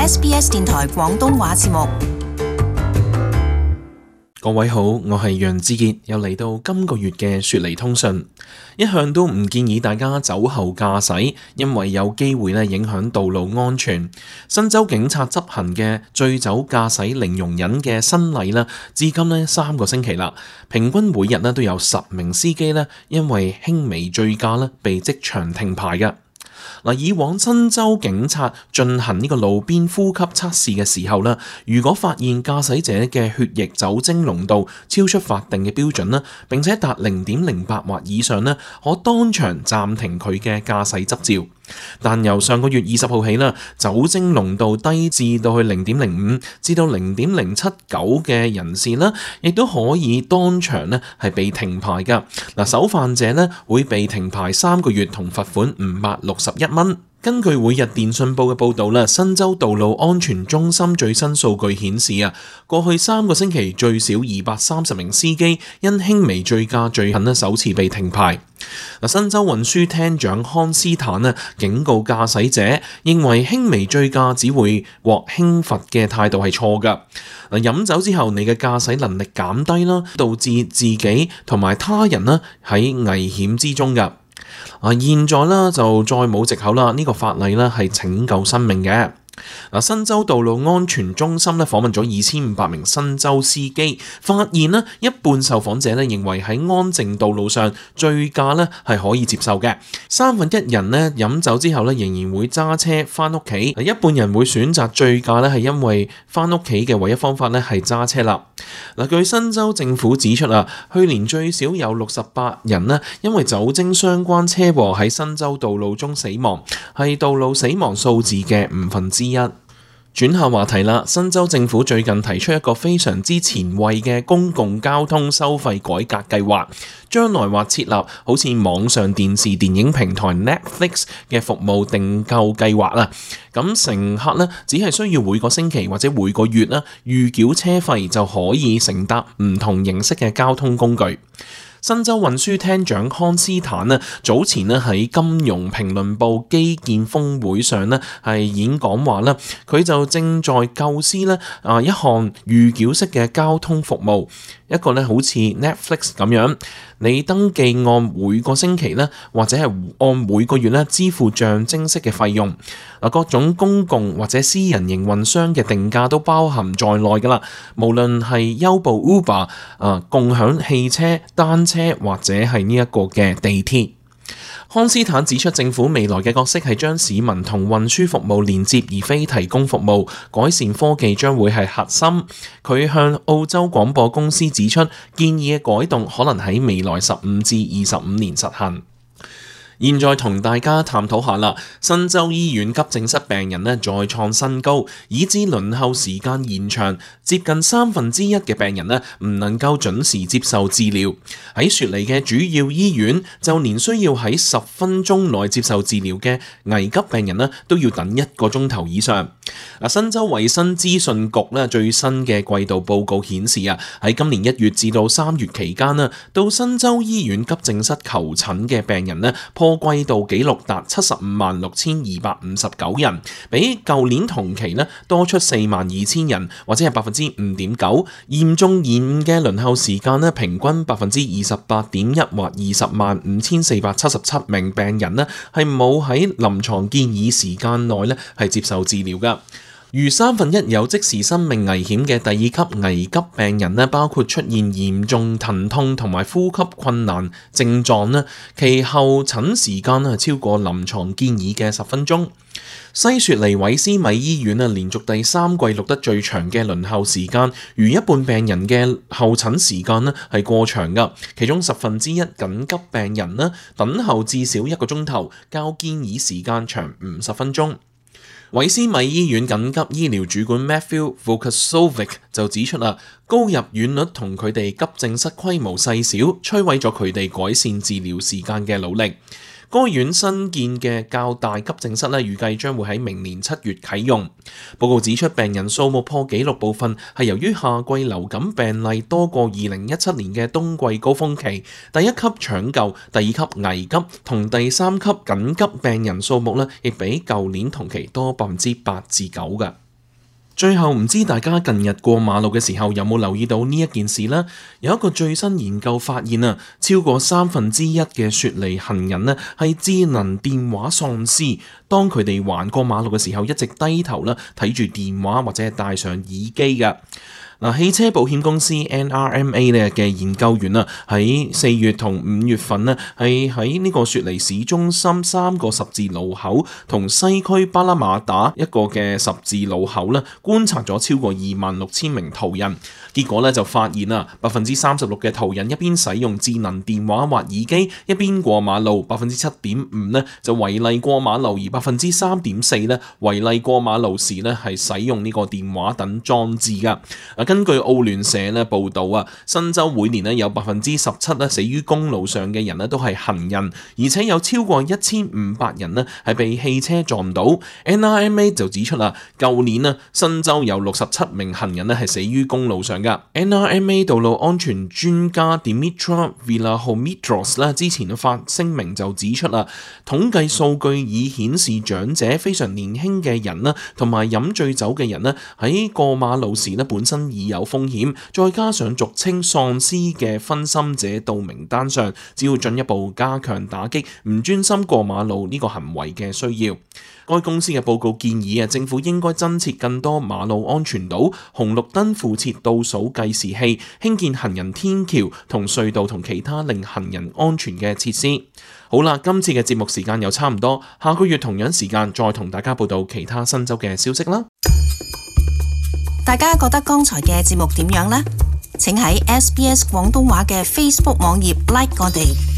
SBS 電台廣東話節目。各位好，我係楊志傑，又嚟到今個月嘅雪梨通訊。一向都唔建議大家酒後駕駛，因為有機會影響道路安全。新州警察執行嘅醉酒駕駛零容忍嘅新例至今3個星期啦，平均每日都有10名司機因為輕微醉駕被即場停牌嘅。以往新州警察進行呢個路邊呼吸測試嘅時候如果發現駕駛者嘅血液酒精濃度超出法定嘅標準並且達0.08或以上可當場暫停佢嘅駕駛執照。但由上個月20號起酒精濃度低至到去0.05至到0.079嘅人士亦都可以當場係被停牌㗎。首犯者會被停牌3個月同罰款561蚊。根據每日電訊報嘅報導新州道路安全中心最新數據顯示過去3個星期最少230名司機因輕微醉駕罪行首次被停牌。新州運輸廳長康斯坦警告駕駛者，認為輕微醉駕只會獲輕罰嘅態度係錯㗎。飲酒之後你嘅駕駛能力減低導致自己同埋他人喺危險之中㗎。現在就再冇藉口啦，呢個法例係拯救生命嘅。新州道路安全中心訪問咗2500名新州司機，發現一半受訪者認為喺安靜道路上醉駕係可以接受嘅，1/3人飲酒之後仍然會揸車返屋企，一半人會選擇醉駕係因為返屋企嘅唯一方法係揸車啦。據新州政府指出去年最少有68人因為酒精相關車禍喺新州道路中死亡，係道路死亡數字嘅1/5。轉下話題啦，新州政府最近提出一個非常之前衛嘅公共交通收費改革計劃，將來或設立好似網上電視電影平台 Netflix 嘅服務訂購計劃啦。咁乘客只係需要每個星期或者每個月預繳車費就可以乘搭唔同形式嘅交通工具。新州運輸廳長康斯坦早前喺金融評論報基建峰會上係演講話佢就正在構思一項預繳式嘅交通服務，一個好似 Netflix 咁樣，你登記按每個星期或者係按每個月支付象徵式嘅費用。各種公共或者私人營運商嘅定價都包含在內㗎啦，無論係優步 Uber、共享汽車、單車或者係呢一個嘅地鐵。康斯坦指出，政府未來嘅角色係將市民同運輸服務連接，而非提供服務。改善科技將會係核心。佢向澳洲廣播公司指出，建議嘅改動可能喺未來15至25年實行。現在同大家探討下啦，新州醫院急症室病人再創新高，以致輪候時間延長，接近1/3嘅病人唔能夠準時接受治療。喺雪梨嘅主要醫院，就連需要喺10分鐘內接受治療嘅危急病人都要等1個鐘頭以上。新州衛生資訊局最新嘅季度報告顯示喺今年1月至到3月期間到新州醫院急症室求診嘅病人破季度紀錄達756,259人，比舊年同期多出42,000人，或者係5.9%。嚴重延誤嘅輪候時間平均28.1%，或205,477名病人係冇喺臨床建議時間內係接受治療㗎。逾1/3有即時生命危險嘅第2級危急病人包括出現嚴重疼痛同埋呼吸困難症狀其後診時間超過臨床建議嘅10分鐘。西雪梨韋斯米醫院連續第3季錄得最長嘅輪候時間，逾一半病人嘅候診時間係過長㗎，其中1/10緊急病人等候至少1個鐘頭，較建議時間長50分鐘。韋斯米醫院緊急醫療主管 Matthew Vukasovic 就指出高入院率同佢哋急症室規模細小，摧毀咗佢哋改善治療時間嘅努力。該院新建嘅較大急症室預計將會喺明年7月啟用。報告指出，病人數目破紀錄部分係由於夏季流感病例多過2017年嘅冬季高峰期，第1級搶救、第2級危急同第3級緊急病人數目亦比舊年同期多8%至9%嘅。最後唔知大家近日過馬路嘅時候有冇留意到呢一件事呢？有一個最新研究發現啊，超過1/3嘅雪梨行人呢係智能電話喪屍。當佢哋橫過馬路嘅時候，一直低頭啦睇住電話或者係戴上耳機㗎。汽車保險公司 NRMA 咧嘅研究員啊，喺4月同5月份呢，係喺呢個雪梨市中心3個十字路口同西區巴拉馬打一個嘅十字路口咧，觀察咗超過26,000名途人。結果咧就發現啊，36%嘅途人一邊使用智能電話或耳機一邊過馬路，7.5%呢就違例過馬路，而3.4%呢違例過馬路時呢係使用呢個電話等裝置㗎。根據澳聯社咧報道啊，新州每年咧有17%咧死於公路上嘅人咧都係行人，而且有超過1500人咧係被汽車撞到。NRMA 就指出啦，舊年啊新州有67名行人咧係死於公路上噶。NRMA 道路安全專家 Dimitra Villahomitros 咧之前發聲明就指出啦，統計數據已顯示長者、非常年輕嘅人啦，同埋飲醉酒嘅人咧喺過馬路時咧本身已有風險，再加上俗稱喪屍嘅分心者到名單上，只要進一步加強打擊唔專心過馬路呢個行為嘅需要。該公司嘅報告建議啊，政府應該增設更多馬路安全島、紅綠燈附設倒數計時器、興建行人天橋同隧道同其他令行人安全嘅設施。好啦，今次嘅節目時間又差唔多，下個月同樣時間再同大家報道其他新州嘅消息啦。大家覺得剛才嘅節目點樣呢？請喺SBS 廣東話嘅 Facebook 網頁 like 我哋。